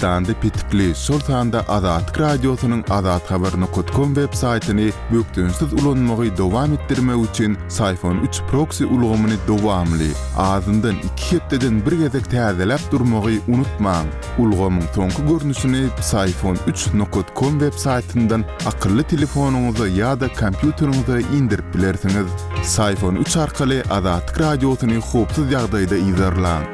Türkmenistanda petikli, şol sanda Azatlyk Radiosynyň azathabar nokat kom web saýtyny bökdençsiz ulanmagy dowam etdirmek üçin Syfon üç proksi ulgamyny dowamly, azyndan iki hepdeden bir gezek täzeläp durmagy unutmaň. Ulgamyň soňky görnüşini Psiphon üç nokat kom web saýtyndan akylly telefonyňyza ýa-da kompýuteriňize indirip bilersiňiz. Psiphon üç arkaly Azatlyk Radiosyny howpsuz ýagdaýda yzarlaň.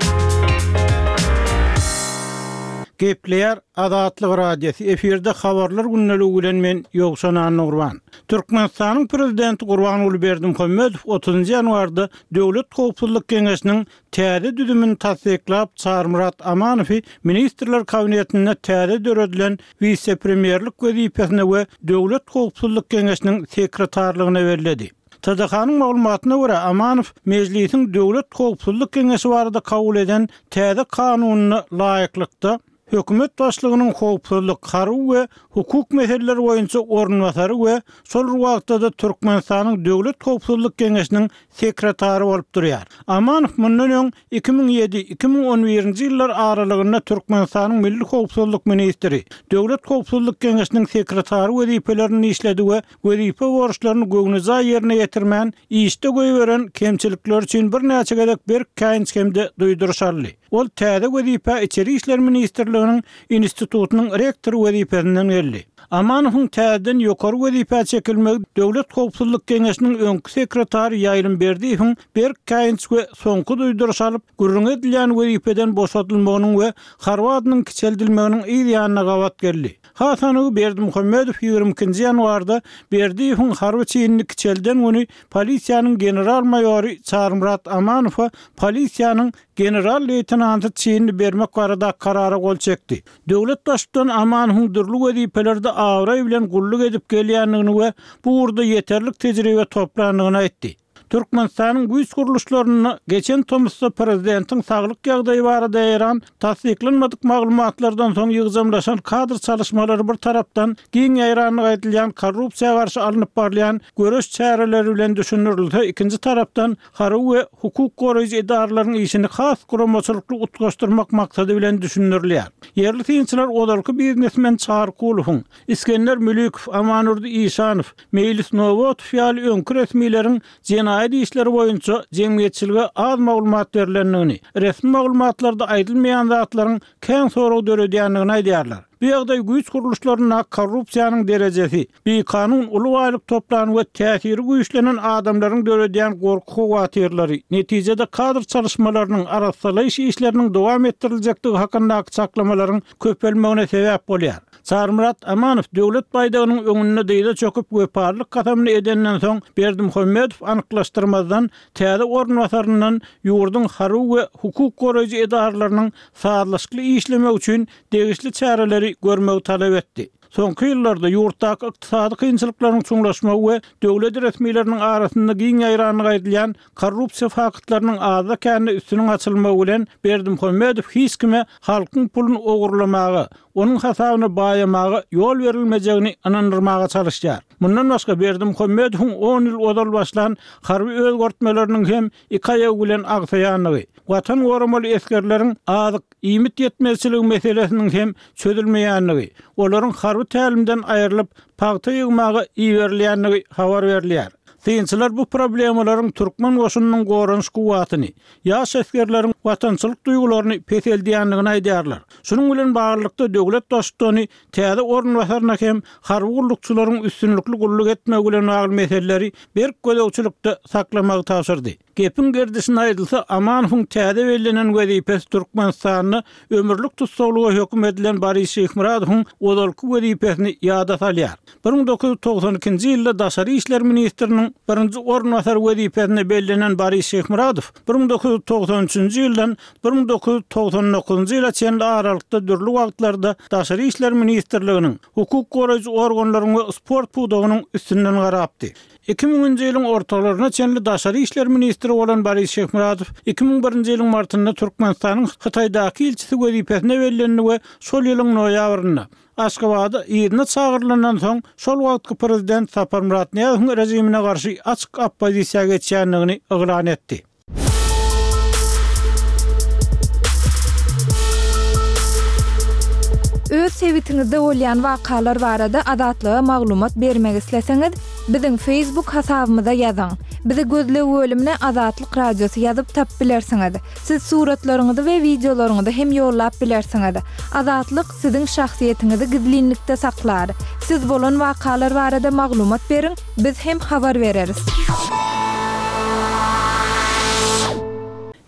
Gepleýär Azatlyk Radiosy, efirde Habarlar gündeligi bilen men Ýowşan Annagurban. Türkmenistanyň Prezidenti Gurbanguly Berdimuhamedow otuzynjy ýanwarda Döwlet howpsuzlyk geňeşiniň Täze düzümini tassyklap, Çarymyrat Amanowy Ministrler Kabinetinde täze döredilen wise-premýerlik wezipesine we Döwlet howpsuzlyk geňeşiniň sekretarlygyna belledi. TDH-nyň maglumatyna görä, Amanow Mejlisiň Döwlet howpsuzlyk geňeşi barada kabul eden täze kanunyna laýyklykda, Hökümet başlygynyň howpsuzlyk, harby we hukuk meseleleri boýunça orunbasary we şol bir wagtda-da Türkmenistanyň Döwlet howpsuzlyk geňeşiniň sekretary bolup durýar. Amanow mundan öň 2007, 2011-nji ýyllar aralygynda Türkmenistanyň milli howpsuzlyk ministri, Döwlet howpsuzlyk geňeşiniň sekretary wezipelerinde işledi we wezipe borçlaryny göwnejaý ýerine ýetirmän, işde goýberen kemçilikleri üçin birnäçe gezek berk käýinç hem-de duýduryş aldy. Ol täze wezipä Içeri işler ministrliginiň institutynyň rektory wezipesinden geldi. Amanowyň täzeden ýokary wezipä çekilmegi Döwlet howpsuzlyk geňeşiniň öňki sekretary Ýaýlym Berdiýewiň berk käýinç we soňky duýduryş alyp, gürrüňi edilýän wezipeden boşadylmagynyň we harby adynyň kiçeldilmeginiň yz ýanyna gabat geldi. Has anygy Berdimuhamedow 22-nji ýanwarda Berdiýewiň harby çinini kiçelden güni polisiýanyň general-maýory Çarymyrat Amanowa polisiýanyň General-leýtenanty çinini bermek barada karara gol çekdi. Döwlet Baştutany Amanowyň dürli wezipelerde abraý bilen gulluk edip gelýändigini we bu ugurda ýeterlik tejribe toplandygyny aýtdy. Türkmenistanyň güýç gurluşlarynda geçen tomusda prezidentiň saglyk ýagdaýy barada ýaýran tassyklanmadyk maglumatlardan soň ýygjamlaşan kadr çalyşmalary bir tarapdan giň ýaýrandygy aýdylýan korrupsiýa garşy alnyp barylýan göreş çäreleri bilen düşündirilse, ikinji tarapdan harby we hukuk goraýjy edaralaryň işini has guramaçylykly utgaşdyrmak maksady bilen düşündirilýär. Ýerli synçylar ozalky biznesmen Çary Kulowyň, Isgender Mülikow, Amandurdy Işanow, Meýlis Nobatow ýaly öňki resmileriň jenaýat işleri boýunça jemgyýetçilige az maglumat berlendigini, resmi maglumatlarda aýdylmaýan zatlaryň kän sorag döredýändigini aýdýarlar. Bu ýagdaý güýç gurluşlaryndaky korrupsiýanyň derejesi, bikanun uly baýlyk toplan we täsiri güýçlenen adamlaryň döredýän gorky-howatyrlary, netijede kadr çalyşmalarynyň, arassalaýyş işleriniň dowam etdiriljekdigi hakyndaky çaklamalaryň köpelmegine sebäp bolýar. Çarymyrat Amanow döwlet baýdagynyň öňünde dyza çöküp wepalylyk kasamyny edenden soň Berdimuhamedow anyklaşdyrmazdan täze orunbasaryndan ýurduň harby we hukuk goraýjy edaralarynyň sazlaşykly işlemegi üçin degişli çäreleri görmegi talap etdi. Soňky ýyllarda ýurtdaky ykdysady kynçylyklaryň çuňlaşmagy we döwlet resmileriniň arasynda giň ýaýrandygy aýdylýan korrupsiýa faktlarynyň azda-kände üstüniň açylmagy bilen Berdimuhamedow hiç kime halkyň puluny ogurlamaga, onuň hasabyna baýamaga ýol berilmejegini ynandyrmaga çalyşýar. Mundan başga Berdimuhamedowyň on ýyl ozal başlan harby özgertmeleriniň hem iki aýagy bilen agsaýandygy, Watan goramaly esgerleriň azyk, iýmit ýetmezçiligi meselesiniň hem çözülmeýändigi, olaryň harby tälimden aýrylyp, pagta ýygmaga iberilýändigi habar berilýär. Synçylar bu problemalaryň türkmen goşunynyň goranyş kuwwatyny, ýaş esgerleriň watançylyk duýgularyny peseldýändigini aýdýarlar. Şunuň bilen baglylykda, döwlet Baştutany täze orunbasaryna hem harby gullukçylaryň üstünlikli gulluk etmegi bilen bagly meseleleri berk gözegçilikde saklamagy tabşyrdy. Gepiň gerdişine aýdylsa, Amanowyň täze bellenen wezipesi Türkmenistanda ömürlik tussaglyga höküm edilen Boris Şyhmyradowyň ozalky wezipesini ýada salýar. 1992-nji ýylda daşary işler ministriniň birinji orunbasary wezipesine bellenen Boris Şyhmyradow 1993-nji ýyldan 1999-njy ýyla çenli aralykda dürli wagtlarda Daşary işler ministrliginiň, hukuk goraýjy organlaryň we sport pudagynyň üstünden garapdy. Iki müňünji ýylyň ortalaryna çenli daşary işler ministri bolan Boris Şyhmyradow 2001-nji ýylyň martynda Türkmenistanyň Hytaýdaky ilçisi wezipesine bellendi we şol ýylyň noýabrynda Aşgabada yzyna çagyrylandan soň şol wagtky prezident Saparmyrat Nyýazowyň režimine garşy açyk oppozisiýa geçýändigini yglan etdi. sebitiňizde bolýan wakalar barada Azatlyga maglumat bermek isleseňiz, biziň Facebook hasabymyza ýazyň. Bizi gözleg bölümine Azatlyk Radiosy ýazyp tapyp bilersiňiz. Siz suratlaryňyzy we wideolaryňyzy hem ýollap bilersiňiz. Azatlyk siziň şahsyýetiňizi gizlinlikde saklar. Siz bolan wakalar barada maglumat beriň, biz hem habar bereris.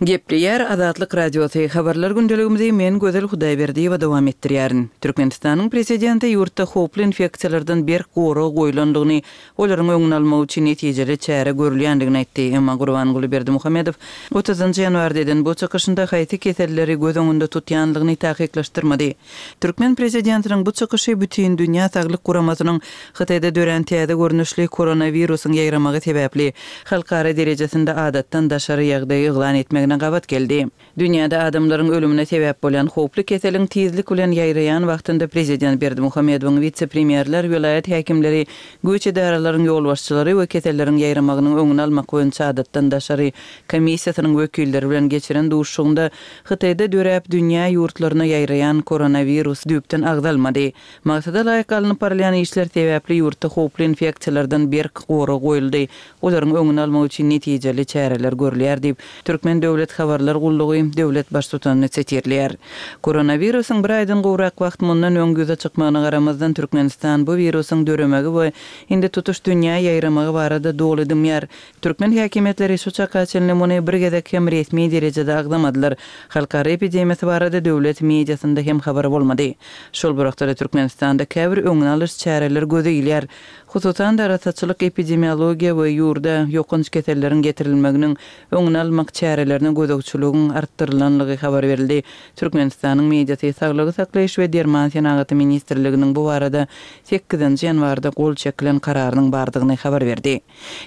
Gepleýär Azatlyk Radiosy, Habarlar gündeligimizi men Gözel Hudaýberdiýewa dowam etdirýärin. Türkmenistanyň Prezidenti ýurtda howply infeksiýalardan berk gorag goýlandygyny, olaryň öňüni almak üçin netijeli çäre görülýändigini aýtdy. Emma Gurbanguly Berdimuhamedow otuzynjy ýanwarda eden bu çykyşynda haýsy keselleri göz öňünde tutýandygyny takyklaşdyrmady. Türkmen prezidentiniň bu çykyşy Bütindünýä saglyk guramasynyň Hytaýda dörän täze görnüşli koronawirusyň ýaýramagy sebäpli halkara derejesinde adatdan daşary ýagdaý yglan etmegine gabat geldi. Dünýäde adamlaryň ölümine sebäp bolýan howply keseliň tizlik bilen ýaýraýan wagtynda prezident Berdimuhamedowyň wise-premýerler, welaýat häkimleri, güýç edaralaryň ýolbaşçylary we keselleriň ýaýramagynyň öňüni almak boýunça adatdan daşary komissiýasynyň wekilleri bilen geçiren duşuşygynda Hytaýda döräp, dünýä ýurtlaryna ýaýraýan koronawirus düýpden agzalmady. Maksada laýyk alnyp barylýan işler sebäpli ýurtda howply infeksiýalardan berk gorag goýuldy, olaryň öňüni almak üçin netijeli çäreler görülýär diýip, Türkmen döwlet habarlar gullugy döwlet Baştutanyny sitirleýär. Koronawirusyň bir aýdan gowrak wagt mundan öň ýüze çykmagyna garamazdan, Türkmenistan bu wirusyň döremegi we indi tutuş dünýä ýaýramagy barada doly dymýar. Türkmen häkimiýetleri şu çaka çenli muny bir gezek hem resmi derejede agzamadylar. Halkara epidemiýasy barada döwlet mediasynda hem habar bolmady. Şol bir wagtda-da Türkmenistanda käbir öňüni alyş çäreleri göze ilýär. Hususan-da, arassaçylyk, epidemiologiýa we ýurda ýokanç keselleriň getirilmeginiň öňüni almak çärelerine gözegçiligiň artdyrylanlygy habar berildi. Türkmenistanyň mediasy Saglygy saklaýyş we derman senagaty ministrliginiň bu barada sekizinji ýanwarda gol çekilen kararynyň bardygyny habar berdi.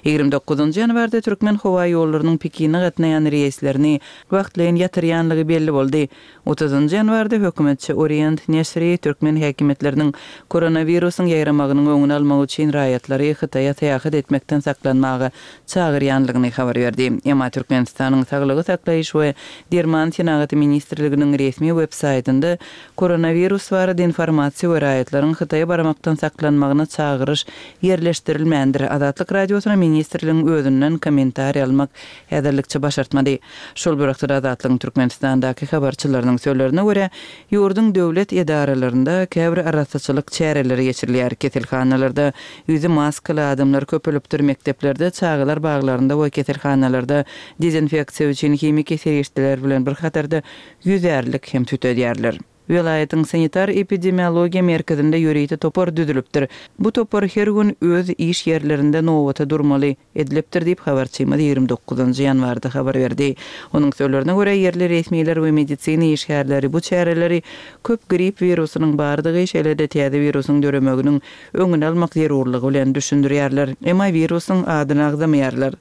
29 ýanwarda Türkmenhowaýollarynyň Pekine gatnaýan reýslerini wagtlaýyn ýatyrýanlygy belli boldy. Otuzynjy ýanwarda hökümetçi Orient neşiri türkmen häkimiýetleriniň koronawirusyň ýaýramagynyň öňüni almak üçin raýatlary Hytaýa syýahat etmekden saklanmaga çagyrýanlygyny habar berdi. Emma Türkmenistanyň Saglygy saklaýyş we derman senagaty ministrliginiň resmi web saýtynda koronawirus barada informasiýa we raýatlaryň Hytaýa barmakdan saklanmagyna çagyryş ýerleşdirilmändir. Azatlyk Radiosyna ministrligiň özünden kommentariý almak häzirlikçe başartmady. Şol bir wagtda Azatlygyň Türkmenistandaky habarçylarynyň sözlerine görä, ýurduň döwlet edaralarynda käbir arassaçylyk çäreleri geçirilýär, keselhanalarda ýüzi maskaly adamlar köpelipdir, mekdeplerde, çagalar baglarynda we keselhanalarda dezinfeksiýa üçin himiki serişdeler bilen bir hatarda ýüzärlik hem tütedýärler. Welaýatyň sanitar-epidemiologiýa merkezinde ýörite topar düzülipdir. Bu topar her gün öz iş ýerlerinde nobata durmaly edilipdir diýip, habarçymyz 29 ýanwarda habar berdi. Onuň sözlerine görä, ýerli resmiler we medisina işgärleri bu çäreleri köp grip wirusynyň bardygy, şeýle-de täze wirusyň döremeginiň öňüni almak zerurlygy bilen düşündirýärler, emma wirusyň adyny agzamaýarlar.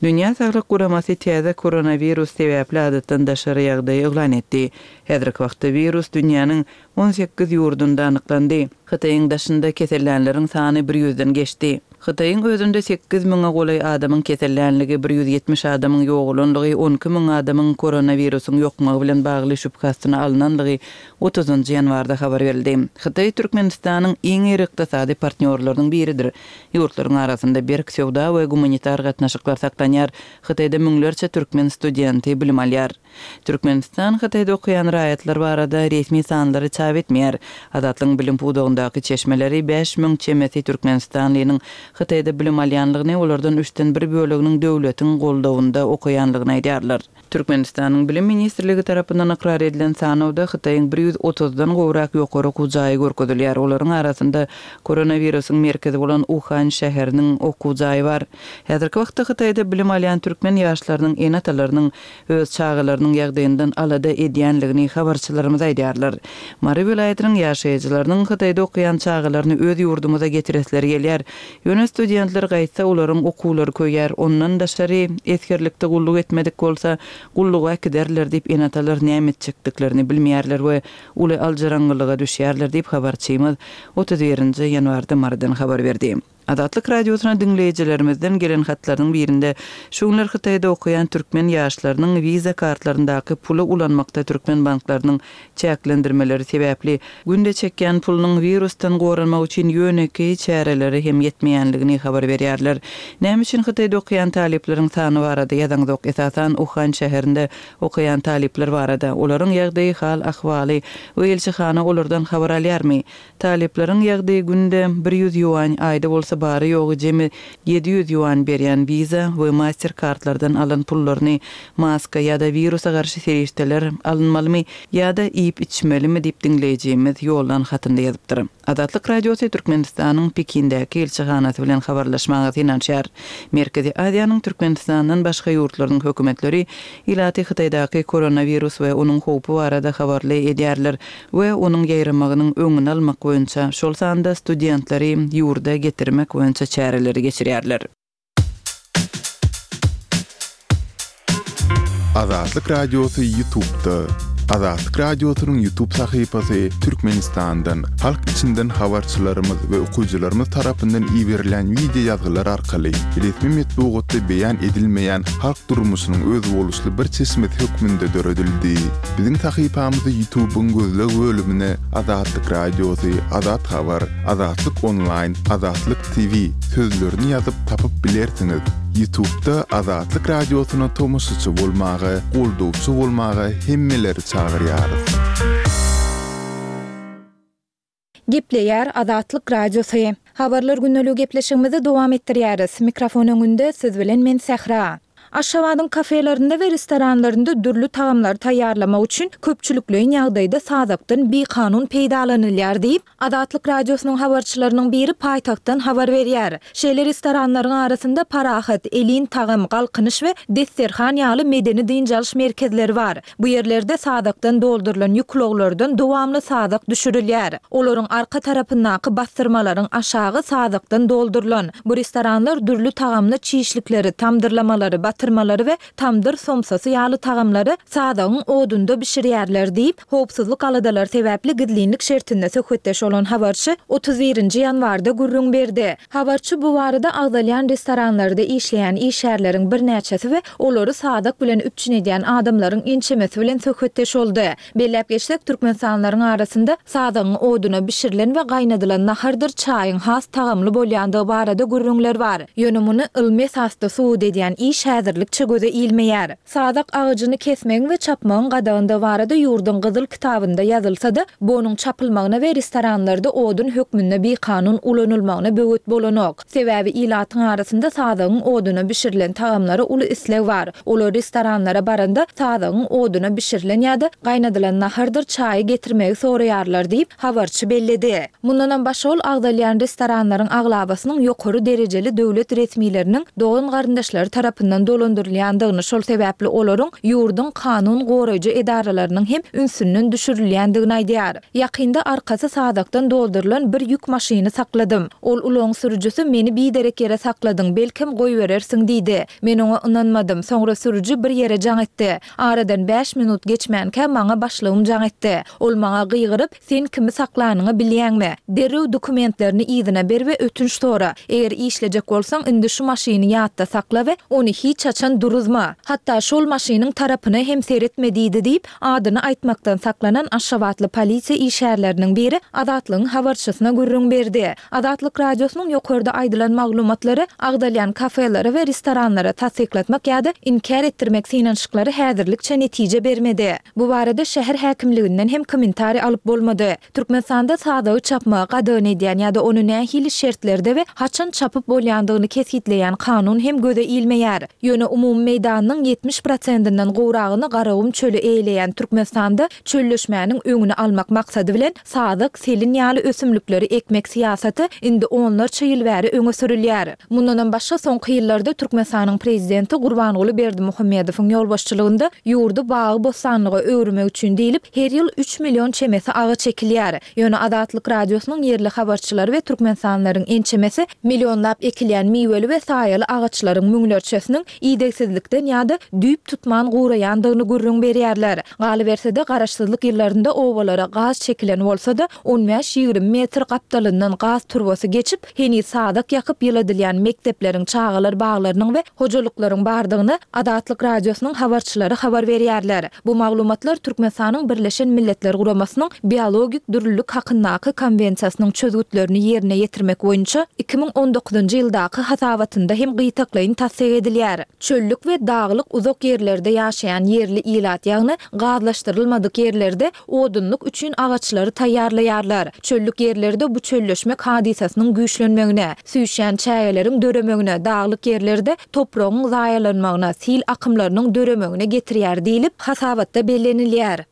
Dünýä Saglyk Guramasy täze koronawirus sebäpli adatdan daşary ýagdaýy yglan etdi. Häzirki wagtda wirus dünýäniň 18 ýurdunda anyklandy. Hytaýyň daşynda kesellänleriň sany bir ýüzden geçdi. Hytaýyň özünde sekiz müňe golaý adamyň kesellänligi, bir 170 adamyň ýogalanlygy, 12 müň adamyň koronawirusyň ýokmagy bilen bagly şübhe astyna alnanlygy otuzynjy ýanwarda habar berildi. Hytaý Türkmenistanyň iň iri ykdysady partnýorlarynyň biridir. Ýurtlaryň arasynda berk söwda we gumanitar gatnaşyklar saklanýar. Hytaýda müňlerçe türkmen studenti bilim alýar. Türkmenistan Hytaýda okaýan raýatlar barada resmi sanlary çap etmeýär. Azatlygyň bilim pudagyndaky çeşmeleri 5000 çemesi türkmenistanlynyň Hytaýda bilim alýanlygyny, olardan üçden bir böleginiň döwletiň goldawynda okaýanlygyny aýdýarlar. Türkmenistanyň Bilim ministrligi tarapyndan ykrar edilen sanawda Hytaýyň bir ýüz otuzdan gowrak ýokary okuw jaýy görkezilýär. Olaryň arasynda koronawirusyň merkezi bolan Uhan şäheriniň okuw jaýy bar. Häzirki wagtda Hytaýda bilim alýan türkmen ýaşlarynyň ene-atalarynyň öz çagalarynyň ýagdaýyndan alada edýänligini habarçylarymyz aýdýarlar. Mary welaýatynyň ýaşaýjylarynyň Hytaýda okaýan çagalaryny öz ýurdumyza getiresleri gelýär. Ýöne studentler gaýtsa olaryň okuwlary köýýär. Ondan daşary, esgerlikde gulluk etmedik bolsa, gulluga äkiderler diýip ene-atalar näme etjekdiklerini bilmeýärler we uly aljyraňňylyga düşýärler diýip, habarçymyz 31 nji ýanwarda Marydan habar berdi. Azatlyk Radiosyna diňleýjilerimizden gelen hatlarynyň birinde şu günler Hytaýda okaýan türkmen ýaşlarynyň wiza kartlaryndaky puly ulanmakda türkmen banklarynyň çäklendirmeleri sebäpli günde çekýän pulunyň wirusdan goranmak üçin ýönekeý çärelere hem ýetmeýänligini habar berýärler. Näme üçin Hytaýda okaýan talyplaryň sany barada ýazaňzok, esasan Uhan şäherinde okaýan talyplar barada, olaryň ýagdaýy, hal-ahwaly we ilçihana olardan habar alýarmy? Talyplaryň ýagdaýy günde 100 ýuan, aýda bolsa bary-ýogy jemi 700 ýuan berýän Visa we Master kartlardan alan pullaryny maska ýa-da wirusa garşy serişdeler alynmalymy ýa-da iýip-içmelimi diýip diňleýjimiz ýollan hatynda ýazypdyr. Azatlyk Radiosy Türkmenistanyň Pekindäki ilçihanasy bilen habarlaşmaga synanyşýar. Merkezi Aziýanyň Türkmenistandan başga ýurtlarynyň hökümetleri ilaty Hytaýdaky koronawirus we onuň howpy barada habarly edýärler we onuň ýaýramagynyň öňüni almak boýunça, şol sanda studentleri ýurda getirmek boýunça çäreleri geçirýärler. Azatlyk Radiosy Ýutubda. Azatlyk Radiosynyň Ýutub sahypasy Türkmenistandan, halk içinden habarçylarymyz we okyjylarymyz tarapyndan iberilen wideo ýazgylar arkaly resmi metbugatda beýan edilmeýän halk durmuşynyň özboluşly bir çeşmesi hökmünde döredildi. Biziň sahypamyzy Ýutubyň gözleg bölümine Azatlyk Radiosy, Azat Habar, Azatlyk Onlaýn, Azatlyk TV sözlerini ýazyp tapyp bilersiňiz. Ýutubda Azatlyk Radiosyna tomaşaçy bolmaga, goldawçy bolmaga hemmeleri çagyrýarys. Gepleýär Azatlyk Radiosy. Habarlar gündeligi gepleşigimizi dowam etdirýäris. Mikrofon öňünde siz bilen men Sähra. Aşgabadyň kafelerinde we restoranlarynda dürli tagamlary taýýarlamak üçin köpçülikleýin ýagdaýda sazakdan bikanun peýdalanylýar diýip, Azatlyk Radiosynyň habarçylarynyň biri paýtagtdan habar berýär. Şeýle restoranlaryň arasynda Parahat, Elin tagam, Galkynyş we Desterhan ýaly medeni-dynç alyş merkezleri bar. Bu ýerlerde sazakdan doldurylan ýük ulaglardan dowamly sazak düşürilýär. Olaryň arka tarapyndaky bassyrmalaryň aşagy sazakdan doldurylan. Bu restoranlar dürli tagamly çişlikleri, tamdyrlamalary, batyrmalary we tamdyr somsasy ýaly tagamlary sazagyň odunda bişirýärler diýip, howpsuzlyk aladalary sebäpli gizlinlik şertinde söhbetdeş bolan habarçy 31-nji ýanwarda gürrüň berdi. Habarçy bu barada agzalýan restoranlarda işleýän işgärleriň birnäçesi we olary sazak bilen üpjün edýän adamlaryň ençemesi bilen söhbetdeş boldy. Belläp geçsek, türkmenistanlylaryň arasynda sazagyň oduna bişirilen we gaýnadylan nahardyr çaýyň has tagamly bolýandygy barada gürrüňler bar. Ýöne muny ylmy esasda subut edýän iş häzirlikçe göze ilmeýär. Sazak agajyny kesmegiň we çapmagyň gadagandygy barada ýurduň Gyzyl kitabynda ýazylsa-da, bu onuň çapylmagyna we restoranlarda odun hökmünde bikanun ulanylmagyna böwet bolanok. Sebäbi ilatyň arasynda sazagyň oduna bişirilen tagamlara uly isleg bar. Olar restoranlara baranda sazagyň oduna bişirilen ýa-da gaýnadylan nahardyr çaýy getirmegi soraýarlar diýip, habarçy belledi. Mundanam başga ol agzalýan restoranlaryň aglabasynyň ýokary derejeli döwlet resmileriniň dogan-garyndaşlary tarapyndan dolandyrylýandygyny, şol sebäpli olaryň ýurduň kanun goraýjy edaralarynyň hem ünsünden düşürilýändigini aýdýar. Ýakynda arkasy sazakdan doldurylan bir ýük maşyny sakladym. Ol ulagyň sürüjisi meni biderek ýere sakladyň, belkem goýberersiň diýdi. Men oňa ynanmadym. Soňra sürüji bir ýere jaň etdi. Aradan bäş minut geçmänkä maňa başlygym jaň etdi. Ol maňa gygyryp, Sen kimi saklanyňy bilýäňmi? Derrew dokumentlerini yzyna ber we ötünç sora. Eger işlejek bolsaň, indi şu maşyny ýatda sakla we ony hiç haçan duruzma. Hatda şol maşynyň tarapyna hem seretme diýdi diýip, adyny aýtmakdan saklanan aşgabatly polisiýa işgärleriniň biri Azatlygyň habarçysyna gürrüň berdi. Azatlyk Radiosynyň ýokarda aýdylan maglumatlary agzalýan kafelere we restoranlara tassyklatmak ýa-da inkär etdirmek synanyşyklary häzirlikçe netije bermedi. Bu barada şäher häkimliginden hem kommentariý alyp bolmady. Türkmenistanda sazagy çapmagy gadagan edýän ýa-da ony nähili şertlerde we haçan çapyp bolýandygyny kesgitleýän kanun hem göze ilmeýär. Ýöne umumy meýdanynyň 70 prosentinden gowragyny Garagum çöli eýeleýän Türkmenistanda çölleşmäniň öňüni almak maksady bilen sazak, selin ýaly ösümlikleri ekmek syýasaty indi onlarça ýyl bäri öňe sürülýär. Mundanam başga soňky ýyllarda Türkmenistanyň Prezidenti Gurbanguly Berdimuhamedowyň ýolbaşçylygynda ýurdy bagy-bossanlyga öwürmek üçin diýlip, her ýyl üç million çemesi agaç ekilýär. Ýöne Azatlyk Radiosynyň ýerli habarçylary we türkmenistanlylaryň ençemesi millionlap ekilýän miweli we saýaly agaçlaryň müňlerçesiniň. Idegsizlikden ýa-da düýp tutman guraýandygyny gürrüň berýärler. Galyberse-de, garaşsyzlyk ýyllarynda obalara gaz çekilen bolsa-da, on bäş-ýigrimi metr gapdalyndan gaz turbasy geçip, heniz sazak ýakyp ýyladylýan mekdepleriň, çagalar baglarynyň we hojalyklaryň bardygyny Azatlyk Radiosynyň habarçylary habar berýärler. Bu maglumatlar Türkmenistanyň Birleşen Milletler Guramasynyň Biologik dürlülik hakyndaky Konwensiýasynyň çözgütlerini ýerine ýetirmek boýunça 2019-njy ýyldaky hasabatynda hem gytaklaýyn tassyk edilýär. Çöllük we daglyk uzak ýerlerde ýaşaýan ýerli ilat, ýagny gazlaşdyrylmadyk ýerlerde odunlyk üçin agaçlary taýýarlaýarlar. Çöllük ýerlerde bu çölleşmek hadysasynyň güýçlenmegine, süýşýän çägeleriň döremegine, daglyk ýerlerde topragyň zaýalanmagyna, sil akymlarynyň döremegine getirýär diýlip, hasabatda bellenilýär.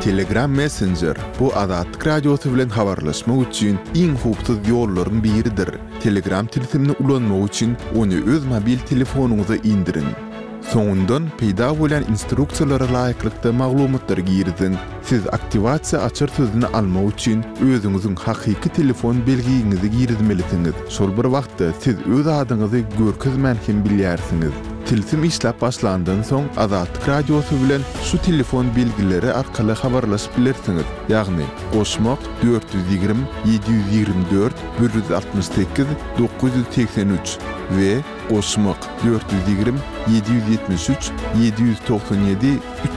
Telegram Messenger, bu Azatlyk Radiosy bilen habarlaşmak üçin iň howpsuz ýollaryň biridir. Telegram tilsimini ulanmak üçin ony öz mobil telefonyňyza indiriň. Soňundan peýda bolýan instruksiýalara laýyklykda maglumatlary giriziň. Siz aktiwasiýa açar sözüni almak üçin özüňiziň hakyky telefon belgiňizi girizmelisiňiz. Şol bir wagtda siz öz adyňyzy görkezmän hem bilýärsiňiz. Tilsim işläp başlandan soň Azatlyk Radiosy bilen şu telefon belgileri arkaly habarlaşyp bilersiňiz, ýagny, goşmak, 420 724 168 983 we goşmak, 420 773 797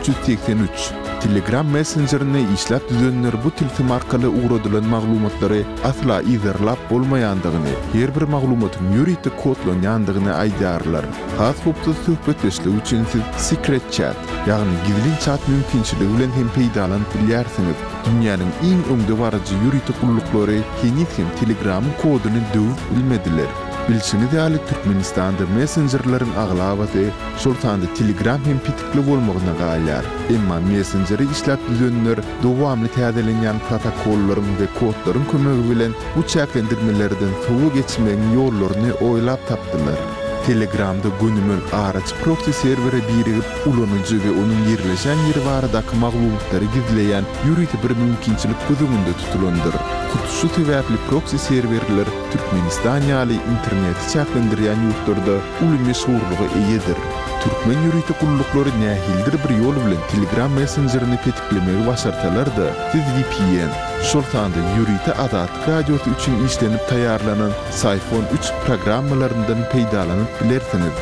383. Telegram messenjerini işläp düzenler bu tilsim arkaly ugradylan maglumatlary asla yzarlap bolmaýandygyny, her bir maglumatyň ýörite kodlanýandygyny aýdýarlar. Has howpsuz söhbetdeşlik üçin siz Secret Chat, ýagny gizlin çat mümkinçiligi bilen hem peýdalanyp bilýärsiňiz. Dünýäniň iň öňdebaryjy ýörite gulluklary heniz hem Telegramyň koduny döwüp bilmediler. Bilşiňiz ýaly, Türkmenistanda messenjerleriň aglabasy, şol sanda Telegram hem petikli bolmagyna galýar. Emma messenjeri işläp düzenler dowamly täzelenýän protokollaryň we kodlaryň kömegi bilen bu çäklendirmelerden sowa geçmegiň ýollaryny oýlap tapdylar. Telegramda gönümel araçy proksi serwere birigip, ulanyjy we onuň ýerleşen ýeri baradaky maglumatlary gizleýän ýörite bir mümkinçilik göz öňünde tutulandyr. Hut şu sebäpli proksi serwerler Türkmenistan ýaly interneti çäklendirýän ýurtlarda uly meşhurlyga eýedir. Türkmen ýörite gulluklary nähilidir bir ýol bilen Telegram messenjerini petiklemegi başarsalar-da, siz vpn, şol sanda ýörite Azatlyk Radiosy üçin işlenip taýýarlanan Syphon üç programmalaryndan peýdalanyp bilersiňiz.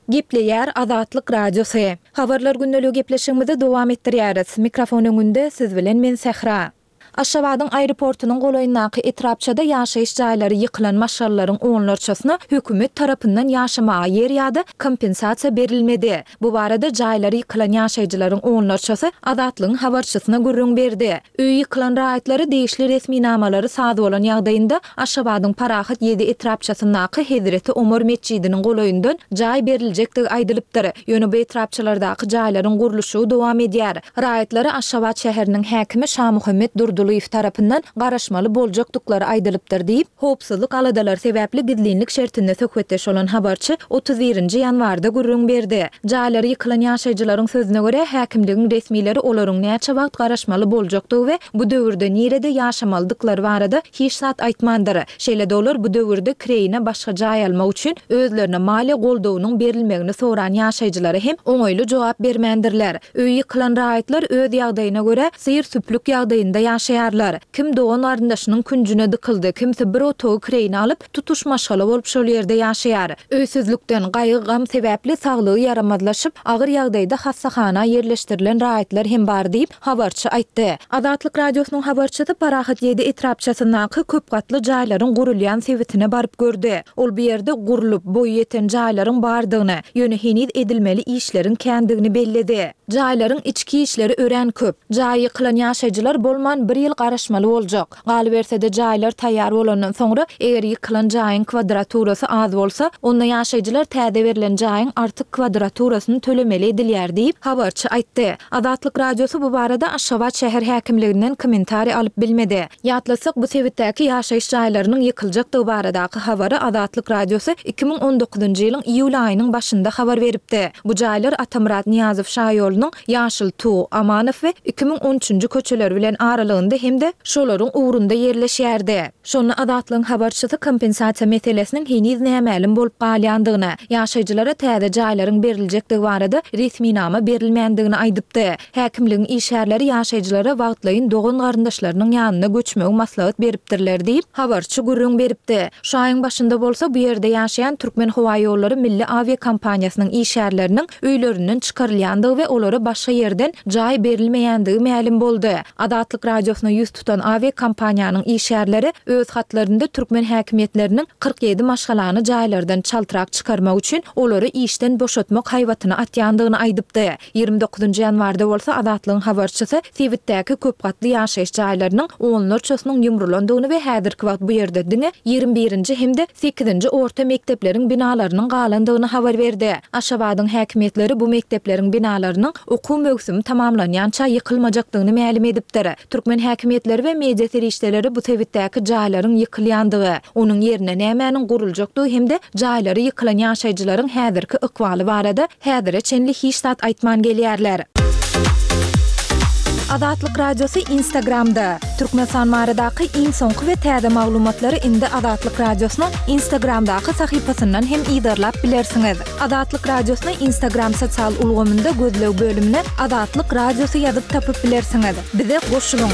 Gepleýär Azatlyk Radiosy. Habarlar gündeligi gepleşigimizi dowam etdirýäris. Mikrofon öňünde siz bilen men Sähra. Aşgabadyň aeroportunyň golaýyndaky etrapçada ýaşaýyş jaýlary ýykylan maşgalalaryň onlarçasyna hökümet tarapyndan ýaşamaga ýer ýa-da kompensasiýa berilmedi. Bu barada jaýlary ýykylan ýaşaýjylaryň onlarçasy Azatlygyň habarçysyna gürrüň berdi. Öýi ýykylan raýatlara degişli resminamalary saz bolan ýagdaýynda Aşgabadyň Parahat ýedi etrapçasyndaky Hezreti Omar metjidiniň golaýyndan jaý beriljekdigi aýdylypdyr. Ýöne bu etrapçalardaky jaýlaryň gurluşygy dowam edýär. Raýatlara Aşgabat şäheriniň häkimi Şamuhammet Durdylyýew tarapyndan garaşmaly boljakdyklary aýdylypdyr diýip, howpsuzlyk aladalary sebäpli gizlinlik şertinde söhbetdeş bolan habarçy 31 nji ýanwarda gürrüň berdi. Jaýlary ýykylan ýaşaýjylaryň sözüne görä, häkimligiň resmileri olaryň näçe wagt garaşmaly boljakdygy we bu döwürde nirede ýaşamalydyklary barada hiç zat aýtmandyr. Şeýle-de olar bu döwürde kireýine başga jaý almak üçin özlerine maliýe goldawynyň berilmegini soran ýaşaýjylara hem oňaýly jogap bermändirler. Öýi ýykylan raýatlar öz ýagdaýyna görä syr-süplük ýagdaýynda ýaşaýarlar. Kim dogan-garyndaşynyň künjüne dykyldy, kimsi bir otagy kireýine alyp, tutuş maşgala bolup şol ýerde ýaşaýar. Öýsüzlikden, gaýgy-gam sebäpli saglygy ýaramazlaşyp, agyr ýagdaýda hassahana ýerleşdirilen raýatlar hem bar diýip, habarçy aýtdy. Azatlyk Radiosynyň habarçysy Parahat ýedi etrapçasyndaky köp gatly jaýlaryň gurulýan sebitine baryp gördi. Ol bu ýerde gurlup, boýy ýeten jaýlaryň bardygyny, ýöne heniz edilmeli işleriň kändigini belledi. Jaýlaryň içki işleri örän köp. Jaýy ýykylan ýaşaýjylar bolman bir ýyl garaşmaly boljak. Galyberse-de, jaýlar taýýar bolandan soňra, eger ýykylan jaýyň kwadraturasy az bolsa, onda ýaşaýjylar täze berlen jaýyň artyk kwadraturasyny tölemeli edilýär diýip, habarçy aýtdy. Azatlyk Radiosy bu barada Aşgabat şäher häkimliginden kommentariý alyp bilmedi. Ýatlatsak, bu sebitdäki ýaşaýyş jaýlarynyň ýykyljakdygy baradaky habary Azatlyk Radiosy 2019-njy ýylyň iýul aýynyň başynda habar beripdi. Bu jaýlar Atamyrat Nyýazow şaýolunyň Ýaşyl Tug, Amanow we 2013-nji köçeleri bilen aralygynda. gapdalynda hem-de şolaryň ugrunda ýerleşýärdi. Şonda Azatlygyň habarçysy kompensasiýa meselesiniň heniz nämälim bolup galýandygyny, ýaşaýjylara täze jaýlaryň beriljekdigi barada resminama berilmändigini aýdypdy. Häkimligiň işgärleri ýaşaýjylara wagtlaýyn dogan-garyndaşlarynyň ýanyna göçmegi maslahat beripdirler diýip, habarçy gürrüň beripdi. Şu aýyň başynda bolsa bu ýerde ýaşaýan Türkmenhowaýollary milli awiakompaniýasynyň işgärleriniň öýlerinden çykarylýandygy we olara başga ýerden jaý berilmeýändigi mälim boldy. Azatlyk Radiosyna ýüz tutan awiakompaniýanyň işgärleri öz hatlarynda türkmen häkimiýetleriniň 47 maşgalany jaýlardan çaltrak çykarmak üçin olary işden boşatmak haýbatyny atýandygyny aýdypdy. 29 ýanwarda bolsa Azatlygyň habarçysy sebitdäki köp gatly ýaşaýyş jaýlarynyň onlarçasynyň ýumrulandygyny we häzirki wagt bu ýerde diňe ýigrimi birinji hem-de sekizinji orta mekdepleriň binalarynyň galandygyny habar berdi. Aşgabadyň häkimiýetleri bu mekdepleriň binalarynyň okuw möwsümi tamamlanýança ýykylmajakdygyny mälim edipdir. Türkmen häkimiýetleri we media serişdeleri bu sebitdäki jaýlaryň ýykylýandygy, onuň ýerine nämäniň guruljakdygy hem-de jaýlary ýykylan ýaşaýjylaryň häzirki ykbaly barada häzire çenli hiç zat aýtman gelýärler. Azatlyk Radiosy Instagramda, Türkmenistan baradaky iň soňky we täze maglumatlary indi Azatlyk Radiosynyň Instagramdaky sahypasyndan hem yzarlap bilersiňiz. Azatlyk Radiosyny Instagram sosial ulgamynda gözleg bölümine Azatlyk Radiosy ýazyp tapyp bilersiňiz. Bize goşulyň!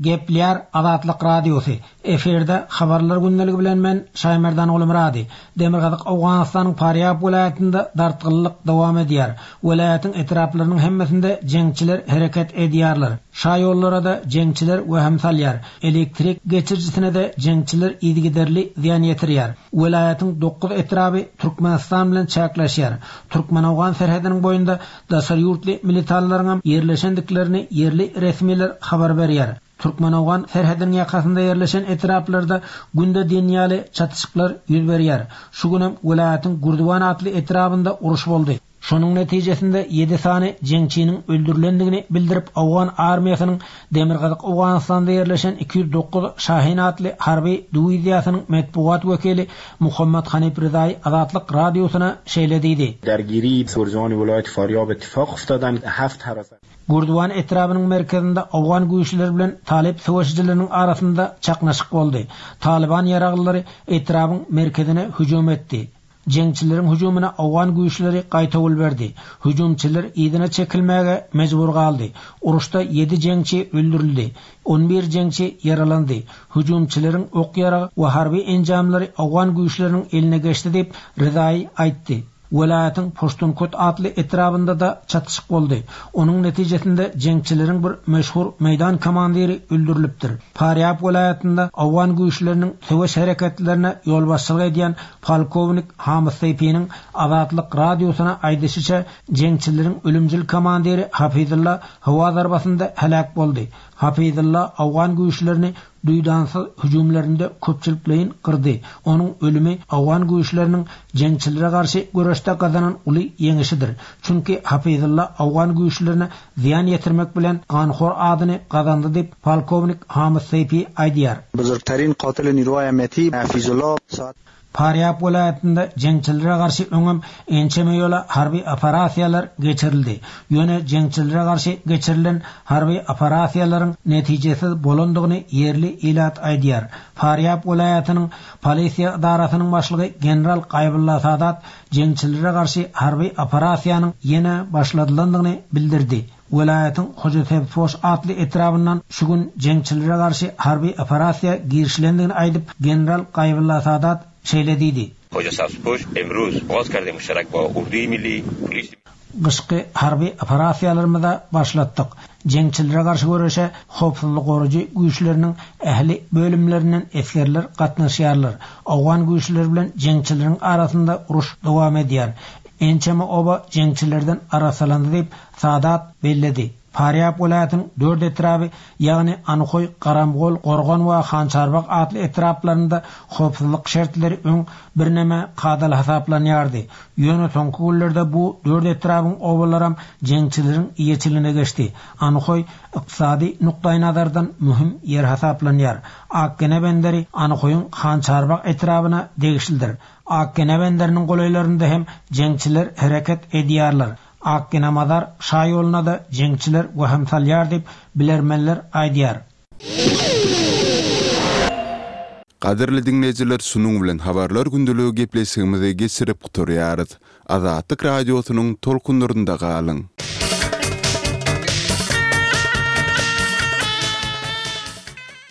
Gepleýär Azatlyk Radiosy, Efirde Habarlar gündeligi bilen men, Şaýmerdan Gulmyrady. Demirgazyk Owganystanyň Farýab welaýatynda dartgynlylyk dowam edýär. Welaýatyň etraplarynyň hemmesinde jeňçiler hereket edýärler. Şaýollara-da jeňçiler wehim salýar. Elektrik geçirijisine-de jeňçiler yzygiderli zyýan ýetirýär. Welaýatyň dokuz etraby Türkmenistan bilen çäkleşýär. Türkmen-owgan serhediniň boýunda Daşary ýurtly militanlaryňam ýerleşendiklerini ýerli resmiler habar berýär. Türkmen-owgan serhediniň ýakasynda ýerleşen etraplarda günde diýen ýaly çatyşyklar ýüz berýär. Şu günem welaýatyň Gürdiwan atly etrabynda uruş boldy. Şonuň netijesinde ýedi sany jeňçiniň öldürilendigini bildirip, owgan armiýasynyň Demirgazyk Owganystanda ýerleşen 209 Şahin atly harby diwiziýasynyň metbugat wekili Muhammad Hanif Rizaý Azatlyk Radiosyna şeýle diýdi. Dergiri Surjani welaýat Farýab ittifak uftadan haft harasan. Gürdiwan etrabynyň merkezinde owgan güýçleri bilen talyp söweşijileriniň arasynda çaknyşyk boldy. Talyban ýaraglylary etrabyň merkezine hüjüm etdi. Jeňçileriň hüjümine owgan güýçleri gaýtawul berdi. Hüjümçiler yzyna çekilmäge mejbur galdy. Uruşda ýedi jeňçi öldürildi. On bir jeňçi ýaralandy. Hüjümçileriň ok-ýarag we harby enjamlary owgan güýçleriniň eline geçdi diýip, Rezaýy aýtdy. Welaýatyň Puştunkut atly etrabynda-da çatyşyk boldy. Onuň netijesinde jeňçileriň bir meşhur meýdan komandiri öldürilipdir. Farýab welaýatynda owgan güýçleriniň söweş hereketlerine ýolbaşçylyk edýän Polkownik Hamyt Seýpiniň Azatlyk Radiosyna aýdyşyça, jeňçileriň ölümcil komandiri Hafyzylla howa zarbasynda heläk boldy. Hafyzylla owgan güýçlerini duýdansyz hüjümlerinde köpçülikleýin gyrdy. Onuň ölümi owgan güýçleriniň jeňçilere garşy göreşde gazanan uly ýeňişidir. Çünki Hafyzylla owgan güýçlerine zyýan ýetirmek bilen ganhor adyny gazandy diýip, polkownik Hamyt Seýpi aýdýar. Buzurgtarin qatil niruhay amniyati Hafizullah saat. Farýab welaýatynda jeňçilere garşy öňem ençeme ýola harby operasiýalar geçirildi. Ýöne jeňçilere garşy geçirilen harby operasiýalaryň netijesiz bolandygyny ýerli ilat aýdýar. Farýab welaýatynyň polisiýa edarasynyň başlygy general Gaýbulla Sadat jeňçilere garşy harby operasiýanyň ýene başladylandygyny bildirdi. Welaýatyň Hojasebzpoş atly etrabyndan şu gün jeňçilere garşy harby operasiýa girişilendigini aýdyp, general Gaýbulla Sadat şeýle diýdi. Hojasabzpoş emruz ogaz kerde muştarak ba urduyi milli, polis. Gyşky harby operasiýalarymyza başlatdyk. Jeňçilere garşy göreşe howpsuzlyk goraýjy güýçleriniň ähli bölümlerinden esgerler gatnaşýarlar. Owgan güýçleri bilen jeňçileriň arasynda uruş dowam edýär. Ençeme oba jeňçilerden arassalandy diýip, Sadat belledi. Farýab welaýatynyň dört etraby, ýagny Anhoý, Garamgol, Gorgan we Hançarbag atly etraplarynda howpsuzlyk şertleri öň birneme kadaly hasaplanýardy. Ýöne soňky günlerde bu dört etrabyň obalaram jeňçileriň eýeçiligine geçdi. Anhoý ykdysady nukdaýnazardan möhüm ýer hasaplanýar. Akgene benderi Anhoýyň Hançarbag etrabyna degişlidir. Akgene benderiniň golaýlarynda hem jeňçiler hereket edýärler. Akgina-Mazar şaýoluna-da jeňçiler wehim salýar diýip, bilermenler aýdýar. Gadyrly diňleýjiler şunuň bilen Habarlar gündeligi gepleşigimizi geçirip gutarýarys. Azatlyk Radiosynyň tolkunlarynda galyň!